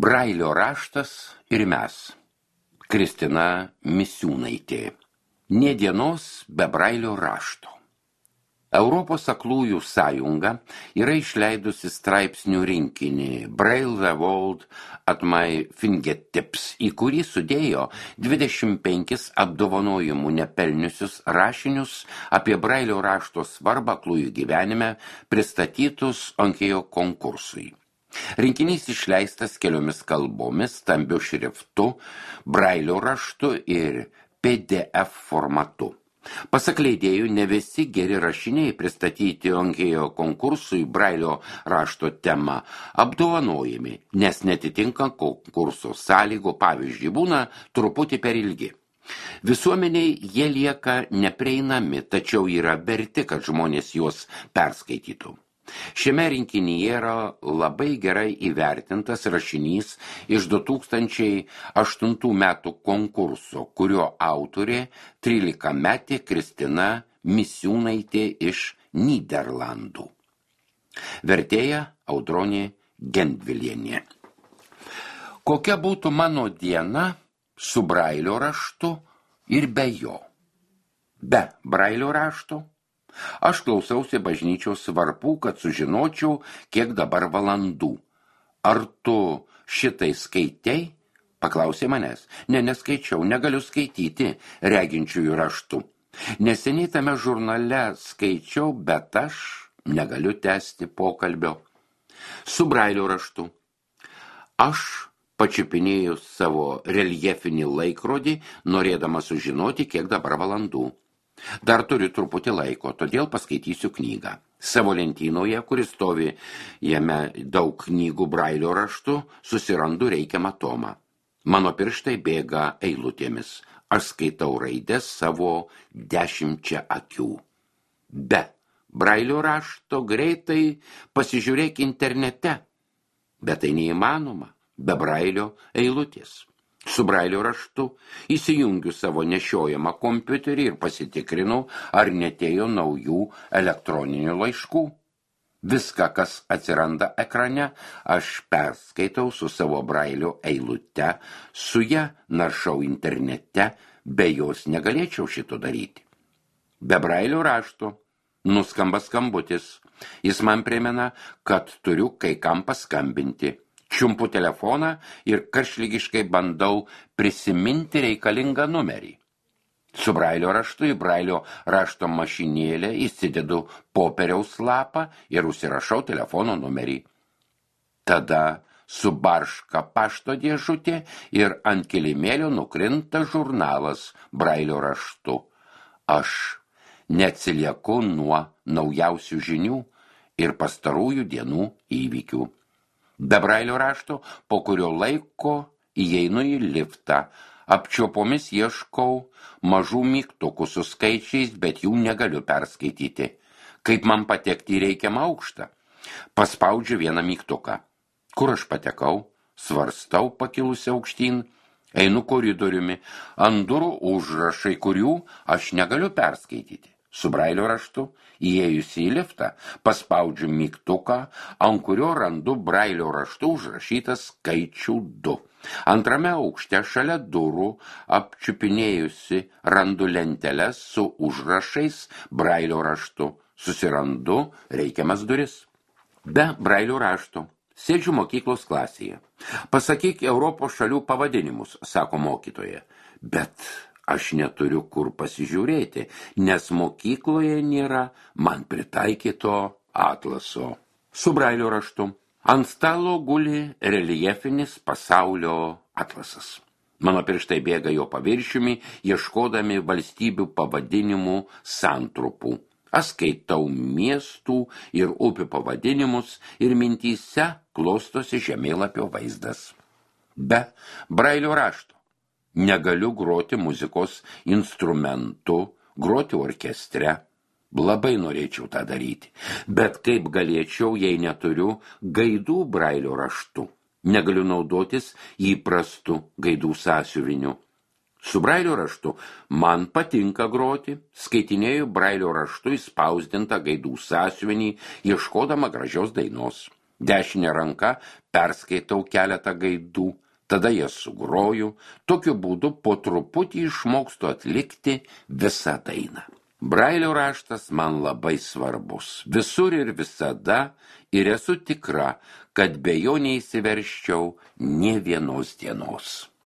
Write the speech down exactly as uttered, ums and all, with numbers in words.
Brailio raštas ir mes. Kristina Misiūnaitė. Nė dienos be Brailio rašto. Europos aklųjų sąjunga yra išleidusi straipsnių rinkinį Braille the World at my Fingertips, į kurį sudėjo dvidešimt penkis apdovanojimų nepelniusius rašinius apie Brailio rašto svarbą aklųjų gyvenime pristatytus Onkėjo konkursui. Rinkinys išleistas keliomis kalbomis, stambiu šriftu, Brailio raštu ir P D F formatu. Pasak leidėjų, ne visi geri rašiniai pristatyti Onkėjo konkursui Brailio rašto tema apdovanojami, nes netitinka konkurso sąlygų, pavyzdžiui, būna truputį per ilgi. Visuomeniai jie lieka neprieinami, tačiau yra verti, kad žmonės juos perskaitytų. Šiame rinkinyje yra labai gerai įvertintas rašinys iš du tūkstančiai aštuntų metų konkurso, kurio autorė trylikametė Kristina Misiūnaitė iš Nyderlandų. Vertėja Audronė Gendvilienė. Kokia būtų mano diena su Brailio raštu ir be jo? Be Brailio rašto? Aš klausiausi bažnyčios varpų, kad sužinočiau, kiek dabar valandų. Ar tu šitai skaitei? Paklausė manęs. Ne, neskaičiau, negaliu skaityti reginčiųjų raštų. Neseniai tame žurnale skaičiau, bet aš negaliu tęsti pokalbio. Su Brailio raštu. Aš pačiupinėjau savo reljefinį laikrodį, norėdama sužinoti, kiek dabar valandų. Dar turiu truputį laiko, todėl paskaitysiu knygą. Savo lentynoje, kuris stovi jame daug knygų Brailio raštu, susirandu reikiamą tomą. Mano pirštai bėga eilutėmis. Aš skaitau raides savo dešimčia akių. Be Brailio rašto greitai pasižiūrėk internete. Bet tai neįmanoma, be Brailio eilutės. Su Brailio raštu įsijungiu savo nešiojamą kompiuterį ir pasitikrinau, ar netėjo naujų elektroninių laiškų. Viską, kas atsiranda ekrane, aš perskaitau su savo Brailio eilute, su ja naršau internete, be jos negalėčiau šito daryti. Be Brailio rašto nuskamba skambutis. Jis man primena, kad turiu kai kam paskambinti. Čiumpu telefoną ir karšlygiškai bandau prisiminti reikalingą numerį. Su Brailio raštu į Brailio rašto mašinėlę įsidedu popieriaus lapą ir užsirašau telefono numerį. Tada subarška pašto dėžutė ir ant kilimėlio nukrinta žurnalas Brailio raštu. Aš neatsilieku nuo naujausių žinių ir pastarųjų dienų įvykių. Be Brailio rašto, po kurio laiko įeinu į liftą, apčiopomis ieškau mažų mygtukų su skaičiais, bet jų negaliu perskaityti. Kaip man patekti į reikiamą aukštą? Paspaudžiu vieną mygtuką. Kur aš patekau? Svarstau pakilusi aukštyn, einu koridoriumi, ant durų užrašai, kurių aš negaliu perskaityti. Su Brailio raštu, įėjusi į liftą, paspaudžiu mygtuką, ant kurio randu Brailio raštu užrašytą skaičių du. Antrame aukšte šalia durų, apčiupinėjusi, randu lenteles su užrašais Brailio raštu. Susirandu reikiamas duris. Be Brailio rašto. Sėdžiu mokyklos klasėje. Pasakyk Europos šalių pavadinimus, sako mokytoja. Bet aš neturiu kur pasižiūrėti, nes mokykloje nėra man pritaikyto atlaso. Su Brailio raštu. Ant stalo guli reljefinis pasaulio atlasas. Mano pirštai bėga jo paviršiumi, ieškodami valstybių pavadinimų santrupų. Aš skaitau miestų ir upių pavadinimus ir mintyse klostosi žemėlapio vaizdas. Be Brailio rašto. Negaliu groti muzikos instrumentu, groti orkestre. Labai norėčiau tą daryti, bet kaip galėčiau, jei neturiu gaidų Brailio raštu. Negaliu naudotis įprastu gaidų sąsiuviniu. Su Brailio raštu man patinka groti, skaitinėju Brailio raštu įspausdintą gaidų sąsiuvinį, ieškodama gražios dainos. Dešinė ranka perskaitau keletą gaidų, tada jas sugroju, tokiu būdu po truputį išmokstu atlikti visą dainą. Brailio raštas man labai svarbus, visur ir visada, ir esu tikra, kad be jo neįsiversčiau nė vienos dienos.